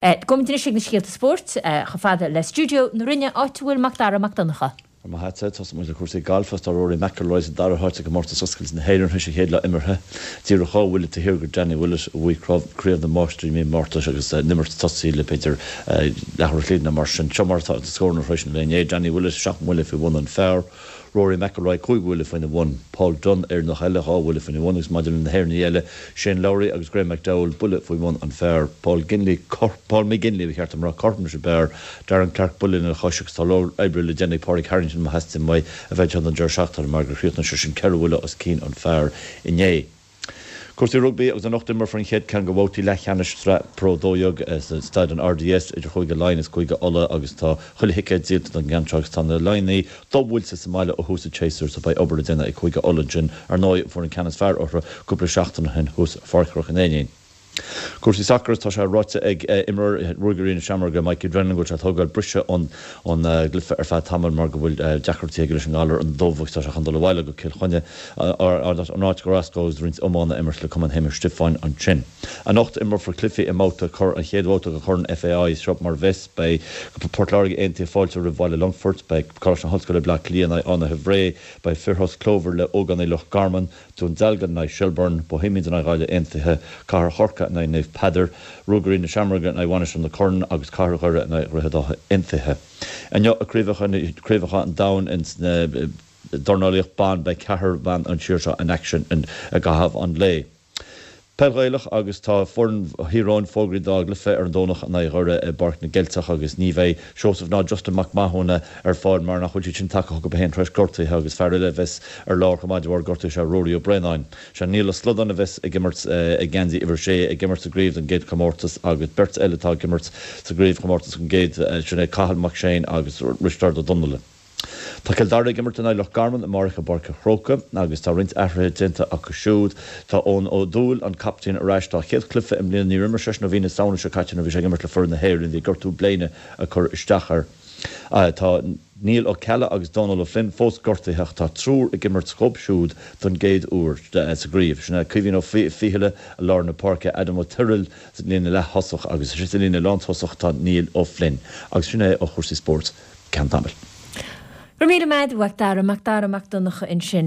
Gabhaimid anois ag na scéalta spóirt, chomh fada le stiúideo na Rinne, áit a bhfuil Mac Dara Mac Donncha. Go raibh maith agat. Tosóidh muid le cúrsaí gailf agus tá Rory McIlroy sa dara háit i gcomórtas oscailte na hÉireann tar éis a chéad lá imeartha. Díreach dhá bhuille taobh thiar de Danny Willett a bhuaigh Craobh na Máistrí i mí Márta agus an imirt tosaithe le b'fhéidir leathuair an chloig nó mar sin. Seo mar atá na scóranna tar éis an lae inné, Danny Willett seacht mbuille faoi bhun an phar. Rory McIlroy 5 bhuille faoina bhun, Paul Dunne, Éireannach eile, 2 bhuille faoina bhun agus maidir le na hÉireannaigh eile, Shane Lowry agus Graeme McDowell buille faoi bhun an phar. Paul Ginley, Paul McGinley ba cheart dom a rá, cothrom leis an bpar, Darren Clarke buille ina chois agus tá leor oibre le déanamh ag Pádraig Harrington má theastaíonn uaidh a bheith anseo don deireadh seachtaine mar gur chríochnaigh seisean ceithre bhuille os cionn an phar inné. Cúrsaí rugbaí agus anocht imreofar an chéad ceann de bhabhtaí leathcheannais Sraith Pro 12 sa Staid an RDS idir Chúige Laighean is Cúige Uladh agus tá chuile thicéad díolta don gceann seo agus tá na Laighnigh dobhuailte sa mbaile ó thús an tséasúir so beidh obair le déanamh ag Cúige Uladh ansin. Ar ndóigh fuair an ceann is fearr orthu cúpla seachtain ó shin thuas i Pháirc Chnoc an Éinín. Cúrsaí sacair, Tá sé ráite ag imreoir Ruagairí na Seamróige, Mikey Drennan, go bhfuil sé ag tógáil briseadh ón gcluiche ar feadh tamaill mar go bhfuil deacrachtaí aige leis an ngalar an dubh agus tá sé chun dul abhaile go Cill Chainnigh, an áit gur as dó agus roinnt iomána a imirt le Cumann Shéamais Stiofáin ansin. Anocht imreofar cluichí i mbabhta an chéad bhabhta de Chorn FAI. Seo mar a bheas, beidh Port Láirge Aontaithe fáilte roimh Bhaile Longfoirt, beidh Coláiste na hOllscoile Bleá Cliath in aghaidh Fhánaithe Bhré, beidh fir Ros Clóbhair le ógánaigh Loch Garman, Dún Dealgan in aghaidh Shelbourne, Bohemians in aghaidh Ghaillimh Aontaithe, Cathair Chorcaí in aghaidh Naomh Peadar, Ruagairí na Seamróige in aghaidh Mhainistir na Corann agus Cathair Dhoire in aghaidh Dhroichead Átha Aontaithe. Inniu i gCraobhacha an Domhain ins na dornálaíocht ban beidh ceathrar ban ón tír seo in aicsean i gcaitheamh an lae. Peil Ghaelach agus tá foireann Thír Eoghain fógraithe dá gcluiche ar an Domhnach in aghaidh Dhoire i bPáirc na gCeilteach agus ní bheidh Seosamh ná Justin Mac Mathúna ar fáil mar nach bhfuil siad sin tagtha chucu féin tar éis gortuithe agus fear eile a bheas ar lár chomh maith de bharr gortuithe is ea Ruairí Ó Braonáin. Sé Niall Ó Slodáin a bheas ag imirt i ngeansaí uimhir 6 ag imirt sa gcraobh don gcéad chomórtas agus beirt eile atá ag imirt sa gcraobhchomórtas don gcéad sin é Cathal Mac Séin agus Risteárd Ó Donnaile. Tá Cill Dara ag imirt in aghaidh Loch Garman amárach i bPáirc an Chrócaigh agus tá roinnt athruithe déanta acu siúd. Tá Eoin Ó Dúill, an captaen, ar ais dá chéad chluiche i mbliana. Níor imir seisean ó mhí na Samhna seo caite nuair a bhí sé ag imirt le foireann na hÉireann. Bhí gortú bléine ag cur isteach air. Tá Niall Ó Ceallaigh agus Dónal Ó Floinn fós gortaithe ach tá triúr ag imirt dhóibh siúd don gcéad uair sa gcraobh. Sin é Caoimhín Ó Fiachaille i lár na páirce, Adam Ó Tuathail sa líne leath-thosach agus sa líne lántosach tá Niall Ó Floinn. Agus sin é ó chúrsaí spóirt. ceann tamaill. Go raibh míle maith agat, a Mhac Dara, Mac Dara Mac Donncha ansin.